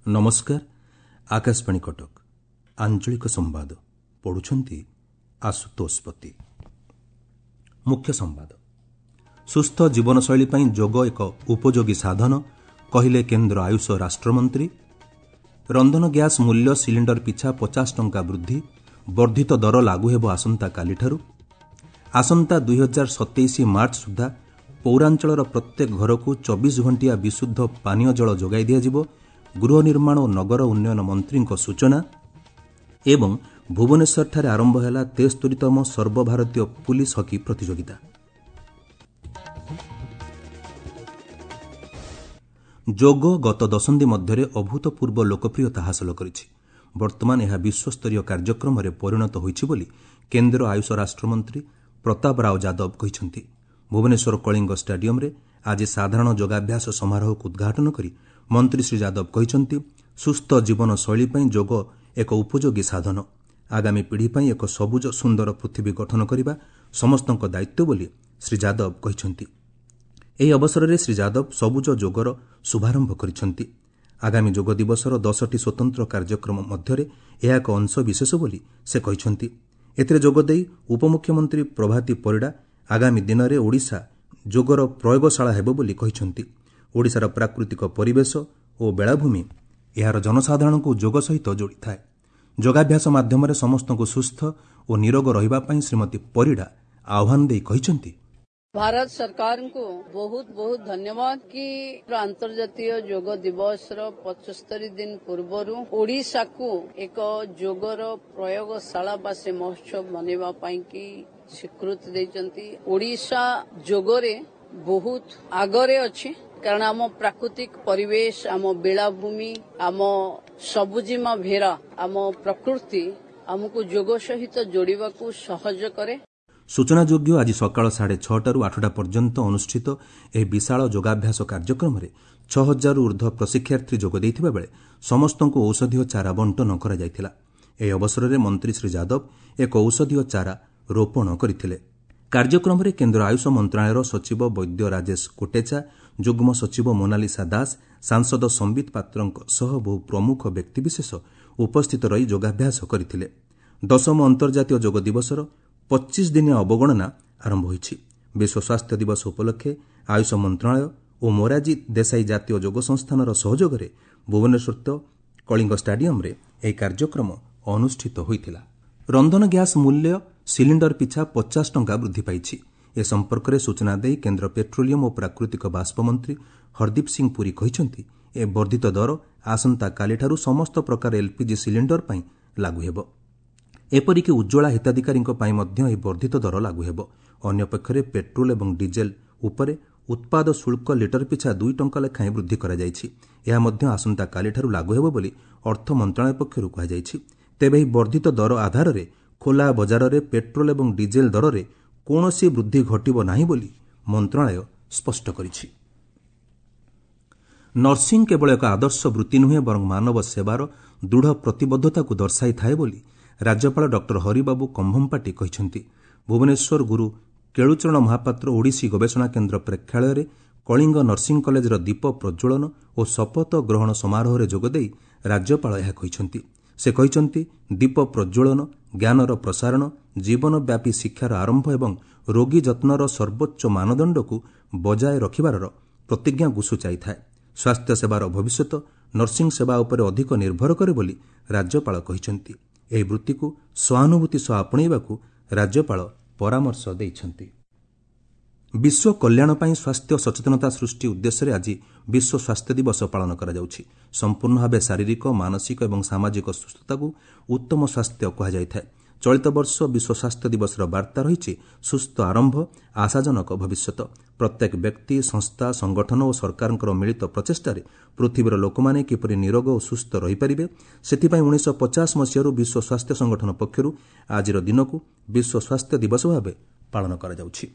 ନମସ୍କାର, ଆକାଶବାଣୀ କଟକ, ଆଞ୍ଚଳିକ ସମ୍ବାଦ ପଢୁଛନ୍ତି ଆଶୁତୋଷ ପତି। ମୁଖ୍ୟ ସମ୍ବାଦ। ସୁସ୍ଥ ଜୀବନଶୈଳୀ ପାଇଁ ଯୋଗ ଏକ ଉପଯୋଗୀ ସାଧନ, କହିଲେ କେନ୍ଦ୍ର ଆୟୁଷ ରାଷ୍ଟ୍ରମନ୍ତ୍ରୀ। ରନ୍ଧନ ଗ୍ୟାସ୍ ମୂଲ୍ୟ ସିଲିଣ୍ଡର ପିଛା 50 ଟଙ୍କା ବୃଦ୍ଧି, ବର୍ଦ୍ଧିତ ଦର ଲାଗୁ ହେବ ଆସନ୍ତାକାଲିଠାରୁ। ଆସନ୍ତା 2027 ମାର୍ଚ୍ଚ ସୁଦ୍ଧା ପୌରାଞ୍ଚଳର ପ୍ରତ୍ୟେକ ଘରକୁ 24 ଘଣ୍ଟିଆ ବିଶୁଦ୍ଧ ପାନୀୟ ଜଳ ଯୋଗାଇ ଦିଆଯିବ, ଗୃହ ନିର୍ମାଣ ଓ ନଗର ଉନ୍ନୟନ ମନ୍ତ୍ରୀଙ୍କ ସୂଚନା। ଏବଂ ଭୁବନେଶ୍ୱରଠାରେ ଆରମ୍ଭ ହେଲା 73ତମ ସର୍ବଭାରତୀୟ ପୁଲିସ୍ ହକି ପ୍ରତିଯୋଗିତା। ଯୋଗ ଗତ ଦଶନ୍ଧି ମଧ୍ୟରେ ଅଭୂତପୂର୍ବ ଲୋକପ୍ରିୟତା ହାସଲ କରିଛି। ବର୍ତ୍ତମାନ ଏହା ବିଶ୍ୱସ୍ତରୀୟ କାର୍ଯ୍ୟକ୍ରମରେ ପରିଣତ ହୋଇଛି ବୋଲି କେନ୍ଦ୍ର ଆୟୁଷ ରାଷ୍ଟ୍ରମନ୍ତ୍ରୀ ପ୍ରତାପ ରାଓ ଯାଦବ କହିଛନ୍ତି। ଭୁବନେଶ୍ୱର କଳିଙ୍ଗ ଷ୍ଟାଡିୟମ୍ରେ ଆଜି ସାଧାରଣ ଯୋଗାଭ୍ୟାସ ସମାରୋହକୁ ଉଦ୍ଘାଟନ କରି ମନ୍ତ୍ରୀ ଶ୍ରୀ ଯାଦବ କହିଛନ୍ତି, ସୁସ୍ଥ ଜୀବନଶୈଳୀ ପାଇଁ ଯୋଗ ଏକ ଉପଯୋଗୀ ସାଧନ। ଆଗାମୀ ପିଢ଼ି ପାଇଁ ଏକ ସବୁଜ ସୁନ୍ଦର ପୃଥିବୀ ଗଠନ କରିବା ସମସ୍ତଙ୍କ ଦାୟିତ୍ୱ ବୋଲି ଶ୍ରୀ ଯାଦବ କହିଛନ୍ତି। ଏହି ଅବସରରେ ଶ୍ରୀ ଯାଦବ ସବୁଜ ଯୋଗର ଶୁଭାରମ୍ଭ କରିଛନ୍ତି। ଆଗାମୀ ଯୋଗ ଦିବସର 10ଟି ସ୍ୱତନ୍ତ୍ର କାର୍ଯ୍ୟକ୍ରମ ମଧ୍ୟରେ ଏହା ଏକ ଅଂଶବିଶେଷ ବୋଲି ସେ କହିଛନ୍ତି। ଏଥିରେ ଯୋଗଦେଇ ଉପମୁଖ୍ୟମନ୍ତ୍ରୀ ପ୍ରଭାତୀ ପରିଡ଼ା ଆଗାମୀ ଦିନରେ ଓଡ଼ିଶା ଯୋଗର ପ୍ରୟୋଗଶାଳା ହେବ ବୋଲି କହିଛନ୍ତି। ଓଡ଼ିଶାର ପ୍ରାକୃତିକ ପରିବେଶ ଓ ବେଳାଭୂମି ଏହାର ଜନସାଧାରଣଙ୍କୁ ଯୋଗ ସହିତ ଯୋଡ଼ିଥାଏ। ଯୋଗାଭ୍ୟାସ ମାଧ୍ୟମରେ ସମସ୍ତଙ୍କୁ ସୁସ୍ଥ ଓ ନିରୋଗ ରହିବା ପାଇଁ ଶ୍ରୀମତୀ ପରିଡ଼ା ଆହ୍ୱାନ ଦେଇ କହିଛନ୍ତି, ଭାରତ ସରକାରଙ୍କୁ ବହୁତ ବହୁତ ଧନ୍ୟବାଦ କି ଆନ୍ତର୍ଜାତୀୟ ଯୋଗ ଦିବସର 75 ଦିନ ପୂର୍ବରୁ ଓଡ଼ିଶାକୁ ଏକ ଯୋଗର ପ୍ରୟୋଗଶାଳା ବା ସେ ମହୋତ୍ସବ ମନେଇବା ପାଇଁ କି ସ୍ୱୀକୃତି ଦେଇଛନ୍ତି। ଓଡ଼ିଶା ଯୋଗରେ ବହୁତ ଆଗରେ ଅଛି, କାରଣ ଆମ ପ୍ରାକୃତିକ ପରିବେଶ, ଆମ ବେଳାଭୂମି, ଆମ ସବୁଜିମା ଭେରା, ଆମ ପ୍ରକୃତି ଆମକୁ ଯୋଗ ସହିତ ଯୋଡ଼ିବାକୁ ସହଜ କରେ। ସୂଚନାଯୋଗ୍ୟ, ଆଜି ସକାଳ 6:30ରୁ 8ଟା ପର୍ଯ୍ୟନ୍ତ ଅନୁଷ୍ଠିତ ଏହି ବିଶାଳ ଯୋଗାଭ୍ୟାସ କାର୍ଯ୍ୟକ୍ରମରେ 6000ରୁ ଉର୍ଦ୍ଧ୍ୱ ପ୍ରଶିକ୍ଷାର୍ଥୀ ଯୋଗ ଦେଇଥିବା ବେଳେ ସମସ୍ତଙ୍କୁ ଔଷଧୀୟ ଚାରା ବଣ୍ଟନ କରାଯାଇଥିଲା। ଏହି ଅବସରରେ ମନ୍ତ୍ରୀ ଶ୍ରୀ ଯାଦବ ଏକ ଔଷଧୀୟ ଚାରା ରୋପଣ କରିଥିଲେ। କାର୍ଯ୍ୟକ୍ରମରେ କେନ୍ଦ୍ର ଆୟୁଷ ମନ୍ତ୍ରଣାଳୟର ସଚିବ ବୈଦ୍ୟ ରାଜେଶ କୋଟେଚା, ଯୁଗ୍ମ ସଚିବ ମୋନାଲିସା ଦାସ, ସାଂସଦ ସମ୍ବିତ ପାତ୍ରଙ୍କ ସହ ବହୁ ପ୍ରମୁଖ ବ୍ୟକ୍ତିବିଶେଷ ଉପସ୍ଥିତ ରହି ଯୋଗାଭ୍ୟାସ କରିଥିଲେ। ଦଶମ ଅନ୍ତର୍ଜାତୀୟ ଯୋଗ ଦିବସର 25 ଦିନିଆ ଅବଗଣନା ଆରମ୍ଭ ହୋଇଛି। ବିଶ୍ୱ ସ୍ୱାସ୍ଥ୍ୟ ଦିବସ ଉପଲକ୍ଷେ ଆୟୁଷ ମନ୍ତ୍ରଣାଳୟ ଓ ମୋରାଜୀ ଦେଶାଇ ଜାତୀୟ ଯୋଗ ସଂସ୍ଥାନର ସହଯୋଗରେ ଭୁବନେଶ୍ୱରସ୍ଥିତ କଳିଙ୍ଗ ଷ୍ଟାଡିୟମ୍ରେ ଏହି କାର୍ଯ୍ୟକ୍ରମ ଅନୁଷ୍ଠିତ ହୋଇଥିଲା। ରନ୍ଧନ ଗ୍ୟାସ୍ ମୂଲ୍ୟ ସିଲିଣ୍ଡର ପିଛା 50 ଟଙ୍କା ବୃଦ୍ଧି ପାଇଛି। ଏ ସମ୍ପର୍କରେ ସୂଚନା ଦେଇ କେନ୍ଦ୍ର ପେଟ୍ରୋଲିୟମ୍ ଓ ପ୍ରାକୃତିକ ବାଷ୍ପ ମନ୍ତ୍ରୀ ହରଦୀପ ସିଂ ପୁରୀ କହିଛନ୍ତି, ଏ ବର୍ଦ୍ଧିତ ଦର ଆସନ୍ତାକାଲିଠାରୁ ସମସ୍ତ ପ୍ରକାର ଏଲ୍ପିଜି ସିଲିଣ୍ଡର ପାଇଁ ଲାଗୁ ହେବ। ଏପରିକି ଉଜ୍ଜ୍ୱଳା ହିତାଧିକାରୀଙ୍କ ପାଇଁ ମଧ୍ୟ ଏହି ବର୍ଦ୍ଧିତ ଦର ଲାଗୁ ହେବ। ଅନ୍ୟପକ୍ଷରେ ପେଟ୍ରୋଲ ଏବଂ ଡିଜେଲ ଉପରେ ଉତ୍ପାଦ ଶୁଳ୍କ ଲିଟର ପିଛା 2 ଟଙ୍କା ଲେଖାଏଁ ବୃଦ୍ଧି କରାଯାଇଛି। ଏହା ମଧ୍ୟ ଆସନ୍ତାକାଲିଠାରୁ ଲାଗୁ ହେବ ବୋଲି ଅର୍ଥ ମନ୍ତ୍ରଣାଳୟ ପକ୍ଷରୁ କୁହାଯାଇଛି। ତେବେ ଏହି ବର୍ଦ୍ଧିତ ଦର ଆଧାରରେ ଖୋଲା ବଜାରରେ ପେଟ୍ରୋଲ ଏବଂ ଡିଜେଲ ଦରରେ କୌଣସି ବୃଦ୍ଧି ଘଟିବ ନାହିଁ ବୋଲି ମନ୍ତ୍ରଣାଳୟ ସ୍ପଷ୍ଟ କରିଛି। ନର୍ସିଂ କେବଳ ଏକ ଆଦର୍ଶ ବୃତ୍ତି ନୁହେଁ, ବରଂ ମାନବ ସେବାର ଦୃଢ଼ ପ୍ରତିବଦ୍ଧତାକୁ ଦର୍ଶାଇଥାଏ ବୋଲି ରାଜ୍ୟପାଳ ଡକ୍ଟର ହରିବାବୁ କମ୍ଭମପାଟି କହିଛନ୍ତି। ଭୁବନେଶ୍ୱର ଗୁରୁ କେଳୁଚରଣ ମହାପାତ୍ର ଓଡ଼ିଶୀ ଗବେଷଣା କେନ୍ଦ୍ର ପ୍ରେକ୍ଷାଳୟରେ କଳିଙ୍ଗ ନର୍ସିଂ କଲେଜର ଦୀପ ପ୍ରଜ୍ୱଳନ ଓ ଶପଥ ଗ୍ରହଣ ସମାରୋହରେ ଯୋଗଦେଇ ରାଜ୍ୟପାଳ ଏହା କହିଛନ୍ତି। ସେ କହିଛନ୍ତି, ଦୀପ ପ୍ରଜ୍ୱଳନ ଜ୍ଞାନର ପ୍ରସାରଣ, ଜୀବନବ୍ୟାପୀ ଶିକ୍ଷାର ଆରମ୍ଭ ଏବଂ ରୋଗୀ ଯତ୍ନର ସର୍ବୋଚ୍ଚ ମାନଦଣ୍ଡକୁ ବଜାୟ ରଖିବାର ପ୍ରତିଜ୍ଞାକୁ ସୂଚାଇଥାଏ। ସ୍ୱାସ୍ଥ୍ୟସେବାର ଭବିଷ୍ୟତ ନର୍ସିଂ ସେବା ଉପରେ ଅଧିକ ନିର୍ଭର କରେ ବୋଲି ରାଜ୍ୟପାଳ କହିଛନ୍ତି। ଏହି ବୃତ୍ତିକୁ ସହାନୁଭୂତି ସହ ଆପଣେଇବାକୁ ରାଜ୍ୟପାଳ ପରାମର୍ଶ ଦେଇଛନ୍ତି। ବିଶ୍ୱ କଲ୍ୟାଣ ପାଇଁ ସ୍ୱାସ୍ଥ୍ୟ ସଚେତନତା ସୃଷ୍ଟି ଉଦ୍ଦେଶ୍ୟରେ ଆଜି ବିଶ୍ୱ ସ୍ୱାସ୍ଥ୍ୟ ଦିବସ ପାଳନ କରାଯାଉଛି। ସମ୍ପୂର୍ଣ୍ଣ ଭାବେ ଶାରୀରିକ, ମାନସିକ ଏବଂ ସାମାଜିକ ସୁସ୍ଥତାକୁ ଉତ୍ତମ ସ୍ୱାସ୍ଥ୍ୟ କୁହାଯାଇଥାଏ। ଚଳିତ ବର୍ଷ ବିଶ୍ୱ ସ୍ୱାସ୍ଥ୍ୟ ଦିବସର ବାର୍ତ୍ତା ରହିଛି ସୁସ୍ଥ ଆରମ୍ଭ, ଆଶାଜନକ ଭବିଷ୍ୟତ। ପ୍ରତ୍ୟେକ ବ୍ୟକ୍ତି, ସଂସ୍ଥା, ସଂଗଠନ ଓ ସରକାରଙ୍କର ମିଳିତ ପ୍ରଚେଷ୍ଟାରେ ପୃଥିବୀର ଲୋକମାନେ କିପରି ନିରୋଗ ଓ ସୁସ୍ଥ ରହିପାରିବେ, ସେଥିପାଇଁ 1950 ମସିହାରୁ ବିଶ୍ୱ ସ୍ୱାସ୍ଥ୍ୟ ସଂଗଠନ ପକ୍ଷରୁ ଆଜିର ଦିନକୁ ବିଶ୍ୱ ସ୍ୱାସ୍ଥ୍ୟ ଦିବସ ଭାବେ ପାଳନ କରାଯାଉଛି।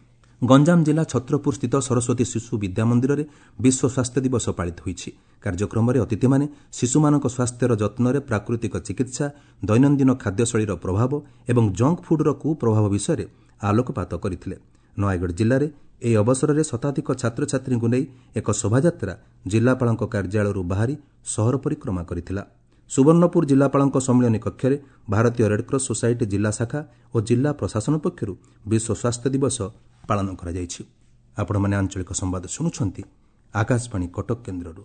ଗଞ୍ଜାମ ଜିଲ୍ଲା ଛତ୍ରପୁର ସ୍ଥିତ ସରସ୍ୱତୀ ଶିଶୁ ବିଦ୍ୟା ମନ୍ଦିରରେ ବିଶ୍ୱ ସ୍ୱାସ୍ଥ୍ୟ ଦିବସ ପାଳିତ ହୋଇଛି। କାର୍ଯ୍ୟକ୍ରମରେ ଅତିଥିମାନେ ଶିଶୁମାନଙ୍କ ସ୍ୱାସ୍ଥ୍ୟର ଯତ୍ନରେ ପ୍ରାକୃତିକ ଚିକିତ୍ସା, ଦୈନନ୍ଦିନ ଖାଦ୍ୟଶୈଳୀର ପ୍ରଭାବ ଏବଂ ଜଙ୍କ ଫୁଡ୍ର କୁପ୍ରଭାବ ବିଷୟରେ ଆଲୋକପାତ କରିଥିଲେ। ନୟାଗଡ଼ ଜିଲ୍ଲାରେ ଏହି ଅବସରରେ ଶତାଧିକ ଛାତ୍ରଛାତ୍ରୀଙ୍କୁ ନେଇ ଏକ ଶୋଭାଯାତ୍ରା ଜିଲ୍ଲାପାଳଙ୍କ କାର୍ଯ୍ୟାଳୟରୁ ବାହାରି ସହର ପରିକ୍ରମା କରିଥିଲା। ସୁବର୍ଣ୍ଣପୁର ଜିଲ୍ଲାପାଳଙ୍କ ସମ୍ମିଳନୀ କକ୍ଷରେ ଭାରତୀୟ ରେଡ୍କ୍ରସ୍ ସୋସାଇଟି ଜିଲ୍ଲା ଶାଖା ଓ ଜିଲ୍ଲା ପ୍ରଶାସନ ପକ୍ଷରୁ ବିଶ୍ୱ ସ୍ୱାସ୍ଥ୍ୟ ଦିବସ ପାଳନ କରାଯାଇଛି। ଆପଣମାନେ ଆଞ୍ଚଳିକ ସମ୍ବାଦ ଶୁଣୁଛନ୍ତି ଆକାଶବାଣୀ କଟକ କେନ୍ଦ୍ରରୁ।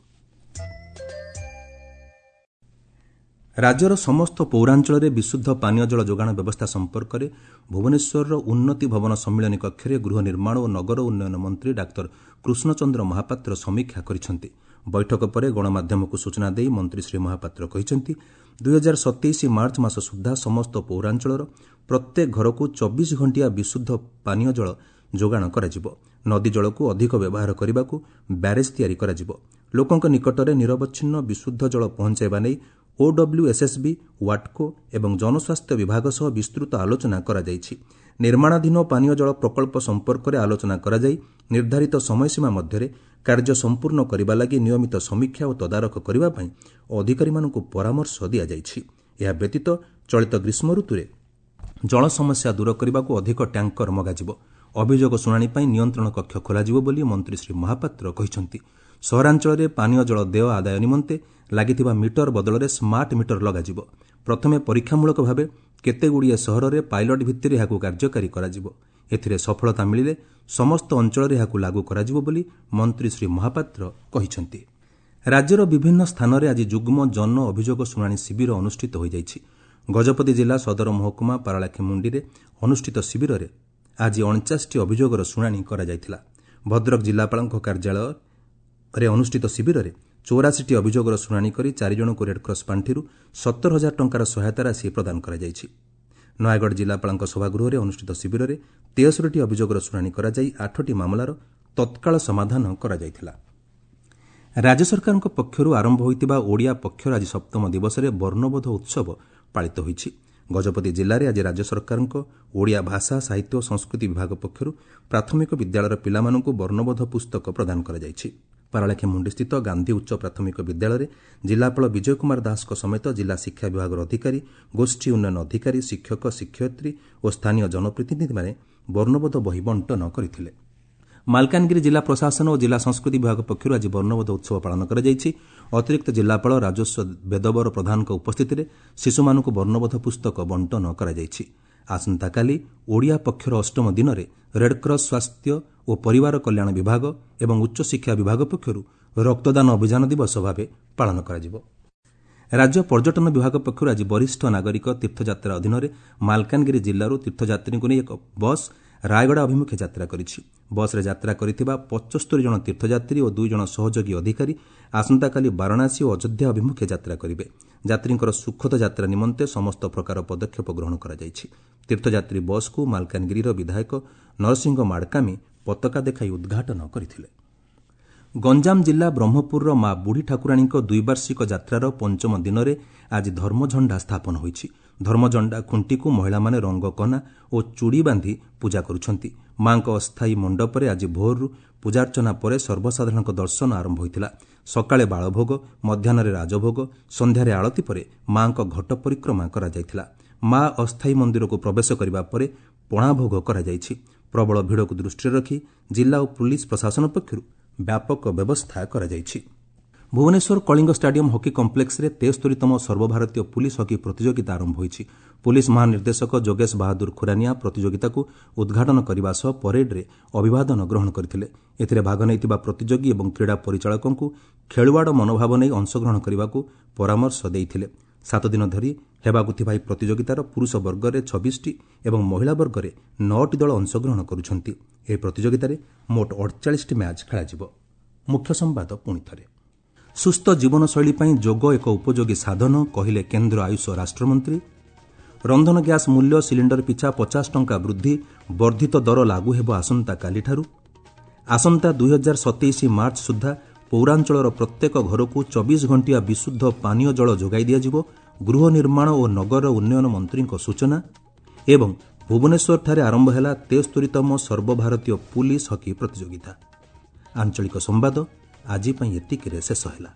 ରାଜ୍ୟର ସମସ୍ତ ପୌରାଞ୍ଚଳରେ ବିଶୁଦ୍ଧ ପାନୀୟ ଜଳ ଯୋଗାଣ ବ୍ୟବସ୍ଥା ସମ୍ପର୍କରେ ଭୁବନେଶ୍ୱରର ଉନ୍ନତି ଭବନ ସମ୍ମିଳନୀ କକ୍ଷରେ ଗୃହ ନିର୍ମାଣ ଓ ନଗର ଉନ୍ନୟନ ମନ୍ତ୍ରୀ ଡାକ୍ତର କୃଷ୍ଣଚନ୍ଦ୍ର ମହାପାତ୍ର ସମୀକ୍ଷା କରିଛନ୍ତି। ବୈଠକ ପରେ ଗଣମାଧ୍ୟମକୁ ସୂଚନା ଦେଇ ମନ୍ତ୍ରୀ ଶ୍ରୀ ମହାପାତ୍ର କହିଛନ୍ତି, 2027 ମାର୍ଚ୍ଚ ମାସ ସୁଦ୍ଧା ସମସ୍ତ ପୌରାଞ୍ଚଳର ପ୍ରତ୍ୟେକ ଘରକୁ 24 ଘଣ୍ଟିଆ ବିଶୁଦ୍ଧ ପାନୀୟ ଜଳ ଯୋଗାଣ କରାଯିବ। ନଦୀ ଜଳକୁ ଅଧିକ ବ୍ୟବହାର କରିବାକୁ ବ୍ୟାରେଜ୍ ତିଆରି କରାଯିବ। ଲୋକଙ୍କ ନିକଟରେ ନିରବଚ୍ଛିନ୍ନ ବିଶୁଦ୍ଧ ଜଳ ପହଞ୍ଚାଇବା ନେଇ ଓଡବ୍ଲ୍ୟୁଏସ୍ଏସ୍ବି, ୱାଟ୍କୋ ଏବଂ ଜନସ୍ୱାସ୍ଥ୍ୟ ବିଭାଗ ସହ ବିସ୍ତୃତ ଆଲୋଚନା କରାଯାଇଛି। ନିର୍ମାଣାଧୀନ ପାନୀୟ ଜଳ ପ୍ରକଳ୍ପ ସମ୍ପର୍କରେ ଆଲୋଚନା କରାଯାଇ ନିର୍ଦ୍ଧାରିତ ସମୟସୀମା ମଧ୍ୟରେ କାର୍ଯ୍ୟ ସମ୍ପୂର୍ଣ୍ଣ କରିବା ଲାଗି ନିୟମିତ ସମୀକ୍ଷା ଓ ତଦାରଖ କରିବା ପାଇଁ ଅଧିକାରୀମାନଙ୍କୁ ପରାମର୍ଶ ଦିଆଯାଇଛି। ଏହା ବ୍ୟତୀତ ଚଳିତ ଗ୍ରୀଷ୍ମ ଋତୁରେ ଜଳ ସମସ୍ୟା ଦୂର କରିବାକୁ ଅଧିକ ଟ୍ୟାଙ୍କର ମଗାଯିବ। ଅଭିଯୋଗ ଶୁଣାଣି ପାଇଁ ନିୟନ୍ତ୍ରଣ କକ୍ଷ ଖୋଲାଯିବ ବୋଲି ମନ୍ତ୍ରୀ ଶ୍ରୀ ମହାପାତ୍ର କହିଛନ୍ତି। ସହରାଞ୍ଚଳରେ ପାନୀୟ ଜଳ ଦେୟ ଆଦାୟ ନିମନ୍ତେ ଲାଗିଥିବା ମିଟର ବଦଳରେ ସ୍ମାର୍ଟ ମିଟର ଲଗାଯିବ। ପ୍ରଥମେ ପରୀକ୍ଷାମୂଳକ ଭାବେ କେତେଗୁଡ଼ିଏ ସହରରେ ପାଇଲଟ ଭିତ୍ତିରେ ଏହାକୁ କାର୍ଯ୍ୟକାରୀ କରାଯିବ। ଏଥିରେ ସଫଳତା ମିଳିଲେ ସମସ୍ତ ଅଞ୍ଚଳରେ ଏହାକୁ ଲାଗୁ କରାଯିବ ବୋଲି ମନ୍ତ୍ରୀ ଶ୍ରୀ ମହାପାତ୍ର କହିଛନ୍ତି। ରାଜ୍ୟର ବିଭିନ୍ନ ସ୍ଥାନରେ ଆଜି ଯୁଗ୍ମ ଜନ ଅଭିଯୋଗ ଶୁଣାଣି ଶିବିର ଅନୁଷ୍ଠିତ ହୋଇଯାଇଛି। ଗଜପତି ଜିଲ୍ଲା ସଦର ମହକୁମା ପାରଳାଖେମୁଣ୍ଡିରେ ଅନୁଷ୍ଠିତ ଶିବିରରେ ଆଜି 49ଟି ଅଭିଯୋଗର ଶୁଣାଣି କରାଯାଇଥିଲା। ଭଦ୍ରକ ଜିଲ୍ଲାପାଳଙ୍କ କାର୍ଯ୍ୟାଳୟରେ ଅନୁଷ୍ଠିତ ଶିବିରରେ 84ଟି ଅଭିଯୋଗର ଶୁଣାଣି କରି 4 ଜଣଙ୍କୁ ରେଡ୍କ୍ରସ୍ ପାଣ୍ଠିରୁ 70,000 ଟଙ୍କାର ସହାୟତା ରାଶି ପ୍ରଦାନ କରାଯାଇଛି। ନୟାଗଡ଼ ଜିଲ୍ଲାପାଳଙ୍କ ସଭାଗୃହରେ ଅନୁଷ୍ଠିତ ଶିବିରରେ 73ଟି ଅଭିଯୋଗର ଶୁଣାଣି କରାଯାଇ 8ଟି ମାମଲାର ତତ୍କାଳ ସମାଧାନ କରାଯାଇଥିଲା। ରାଜ୍ୟ ସରକାରଙ୍କ ପକ୍ଷରୁ ଆରମ୍ଭ ହୋଇଥିବା ଓଡ଼ିଆ ପକ୍ଷର ଆଜି ସପ୍ତମ ଦିବସରେ ବର୍ଣ୍ଣବୋଧ ଉତ୍ସବ ପାଳିତ ହୋଇଛି। ଗଜପତି ଜିଲ୍ଲାରେ ଆଜି ରାଜ୍ୟ ସରକାରଙ୍କ ଓଡ଼ିଆ ଭାଷା, ସାହିତ୍ୟ ଓ ସଂସ୍କୃତି ବିଭାଗ ପକ୍ଷରୁ ପ୍ରାଥମିକ ବିଦ୍ୟାଳୟର ପିଲାମାନଙ୍କୁ ବର୍ଣ୍ଣବୋଧ ପୁସ୍ତକ ପ୍ରଦାନ କରାଯାଇଛି। ପାରଳାଖେମୁଣ୍ଡିସ୍ଥିତ ଗାନ୍ଧୀ ଉଚ୍ଚ ପ୍ରାଥମିକ ବିଦ୍ୟାଳୟରେ ଜିଲ୍ଲାପାଳ ବିଜୟ କୁମାର ଦାସଙ୍କ ସମେତ ଜିଲ୍ଲା ଶିକ୍ଷା ବିଭାଗର ଅଧିକାରୀ, ଗୋଷ୍ଠୀ ଉନ୍ନୟନ ଅଧିକାରୀ, ଶିକ୍ଷକ, ଶିକ୍ଷୟିତ୍ରୀ ଓ ସ୍ଥାନୀୟ ଜନପ୍ରତିନିଧିମାନେ ବର୍ଣ୍ଣବୋଧ ବହି ବଣ୍ଟନ କରିଥିଲେ। ମାଲକାନଗିରି ଜିଲ୍ଲା ପ୍ରଶାସନ ଓ ଜିଲ୍ଲା ସଂସ୍କୃତି ବିଭାଗ ପକ୍ଷରୁ ଆଜି ବର୍ଣ୍ଣବୋଧ ଉତ୍ସବ ପାଳନ କରାଯାଇଛି। ଅତିରିକ୍ତ ଜିଲ୍ଲାପାଳ ରାଜସ୍ୱ ବେଦବର ପ୍ରଧାନଙ୍କ ଉପସ୍ଥିତିରେ ଶିଶୁମାନଙ୍କୁ ବର୍ଣ୍ଣବୋଧ ପୁସ୍ତକ ବଣ୍ଟନ କରାଯାଇଛି। ଆସନ୍ତାକାଲି ଓଡ଼ିଆ ପକ୍ଷର ଅଷ୍ଟମ ଦିନରେ ରେଡ୍କ୍ରସ୍ ସ୍ୱାସ୍ଥ୍ୟ ଓ ପରିବାର କଲ୍ୟାଣ ବିଭାଗ ଏବଂ ଉଚ୍ଚଶିକ୍ଷା ବିଭାଗ ପକ୍ଷରୁ ରକ୍ତଦାନ ଅଭିଯାନ ଦିବସ ଭାବେ ପାଳନ କରାଯିବ। ରାଜ୍ୟ ପର୍ଯ୍ୟଟନ ବିଭାଗ ପକ୍ଷରୁ ଆଜି ବରିଷ୍ଠ ନାଗରିକ ତୀର୍ଥଯାତ୍ରା ଅଧୀନରେ ମାଲକାନଗିରି ଜିଲ୍ଲାରୁ ତୀର୍ଥଯାତ୍ରୀଙ୍କୁ ନେଇ ଏକ ବସ୍ ରାୟଗଡ଼ା ଅଭିମୁଖେ ଯାତ୍ରା କରିଛି। ବସ୍ରେ ଯାତ୍ରା କରିଥିବା 75 ଜଣ ତୀର୍ଥଯାତ୍ରୀ ଓ 2 ଜଣ ସହଯୋଗୀ ଅଧିକାରୀ ଆସନ୍ତାକାଲି ବାରାଣାସୀ ଓ ଅଯୋଧ୍ୟା ଅଭିମୁଖେ ଯାତ୍ରା କରିବେ। ଯାତ୍ରୀଙ୍କର ସୁଖଦ ଯାତ୍ରା ନିମନ୍ତେ ସମସ୍ତ ପ୍ରକାର ପଦକ୍ଷେପ ଗ୍ରହଣ କରାଯାଇଛି। ତୀର୍ଥଯାତ୍ରୀ ବସ୍କୁ ମାଲକାନଗିରିର ବିଧାୟକ ନରସିଂହ ମାଡ଼କାମୀ ପତାକା ଦେଖାଇ ଉଦ୍ଘାଟନ କରିଥିଲେ। ଗଞ୍ଜାମ ଜିଲ୍ଲା ବ୍ରହ୍ମପୁରର ମା ବୁଢ଼ୀ ଠାକୁରାଣୀଙ୍କ ଦ୍ୱିବାର୍ଷିକ ଯାତ୍ରାର ପଞ୍ଚମ ଦିନରେ ଆଜି ଧର୍ମଝଣ୍ଡା ସ୍ଥାପନ ହୋଇଛି। ଧର୍ମଝଣ୍ଡା ଖୁଣ୍ଟିକୁ ମହିଳାମାନେ ରଙ୍ଗ କନା ଓ ଚୁଡ଼ି ବାନ୍ଧି ପୂଜା କରୁଛନ୍ତି। ମାଙ୍କ ଅସ୍ଥାୟୀ ମଣ୍ଡପରେ ଆଜି ଭୋରରୁ ପୂଜାର୍ଚ୍ଚନା ପରେ ସର୍ବସାଧାରଣଙ୍କ ଦର୍ଶନ ଆରମ୍ଭ ହୋଇଥିଲା। ସକାଳେ ବାଳଭୋଗ, ମଧ୍ୟାହ୍ନରେ ରାଜଭୋଗ, ସନ୍ଧ୍ୟାରେ ଆଳତୀ ପରେ ମାଙ୍କ ଘଟ ପରିକ୍ରମା କରାଯାଇଥିଲା। ମା ଅସ୍ଥାୟୀ ମନ୍ଦିରକୁ ପ୍ରବେଶ କରିବା ପରେ ପଣାଭୋଗ କରାଯାଇଛି। ପ୍ରବଳ ଭିଡ଼କୁ ଦୃଷ୍ଟିରେ ରଖି ଜିଲ୍ଲା ଓ ପୁଲିସ୍ ପ୍ରଶାସନ ପକ୍ଷରୁ ବ୍ୟାପକ ବ୍ୟବସ୍ଥା କରାଯାଇଛି। ଭୁବନେଶ୍ୱର କଳିଙ୍ଗ ଷ୍ଟାଡିୟମ୍ ହକି କମ୍ପ୍ଲେକ୍ସରେ 73ତମ ସର୍ବଭାରତୀୟ ପୁଲିସ୍ ହକି ପ୍ରତିଯୋଗିତା ଆରମ୍ଭ ହୋଇଛି। ପୁଲିସ୍ ମହାନିର୍ଦ୍ଦେଶକ ଯୋଗେଶ ବାହାଦୁର ଖୁରାନିଆ ପ୍ରତିଯୋଗିତାକୁ ଉଦ୍ଘାଟନ କରିବା ସହ ପରେଡ୍ରେ ଅଭିବାଦନ ଗ୍ରହଣ କରିଥିଲେ। ଏଥିରେ ଭାଗ ନେଇଥିବା ପ୍ରତିଯୋଗୀ ଏବଂ କ୍ରୀଡ଼ା ପରିଚାଳକଙ୍କୁ ଖେଳୁଆଡ଼ ମନୋଭାବ ନେଇ ଅଂଶଗ୍ରହଣ କରିବାକୁ ପରାମର୍ଶ ଦେଇଥିଲେ। 7 ଦିନ ଧରି ହେବାକୁ ଥିବା ଏହି ପ୍ରତିଯୋଗିତାର ପୁରୁଷ ବର୍ଗରେ 26ଟି ଏବଂ ମହିଳା ବର୍ଗରେ 9ଟି ଦଳ ଅଂଶଗ୍ରହଣ କରୁଛନ୍ତି। ଏହି ପ୍ରତିଯୋଗିତାରେ ମୋଟ 48ଟି ମ୍ୟାଚ୍ ଖେଳାଯିବ। ମୁଖ୍ୟ ସମ୍ବାଦ ପୁଣି ଥରେ। ସୁସ୍ଥ ଜୀବନଶୈଳୀ ପାଇଁ ଯୋଗ ଏକ ଉପଯୋଗୀ ସାଧନ, କହିଲେ କେନ୍ଦ୍ର ଆୟୁଷ ରାଷ୍ଟ୍ରମନ୍ତ୍ରୀ। ରନ୍ଧନ ଗ୍ୟାସ୍ ମୂଲ୍ୟ ସିଲିଣ୍ଡର ପିଛା 50 ଟଙ୍କା ବୃଦ୍ଧି, ବର୍ଦ୍ଧିତ ଦର ଲାଗୁ ହେବ ଆସନ୍ତାକାଲିଠାରୁ। ଆସନ୍ତା 2027 ମାର୍ଚ୍ଚ ସୁଦ୍ଧା ପୌରାଞ୍ଚଳର ପ୍ରତ୍ୟେକ ଘରକୁ 24 ଘଣ୍ଟିଆ ବିଶୁଦ୍ଧ ପାନୀୟ ଜଳ ଯୋଗାଇ ଦିଆଯିବ, ଗୃହ ନିର୍ମାଣ ଓ ନଗର ଉନ୍ନୟନ ମନ୍ତ୍ରୀଙ୍କ ସୂଚନା। ଏବଂ ଭୁବନେଶ୍ୱରଠାରେ ଆରମ୍ଭ ହେଲା 73ତମ ସର୍ବଭାରତୀୟ ପୁଲିସ୍ ହକି ପ୍ରତିଯୋଗିତା। ଆଞ୍ଚଳିକ ସମ୍ବାଦ ଆଜି ପାଇଁ ଏତିକିରେ ଶେଷ ହେଲା।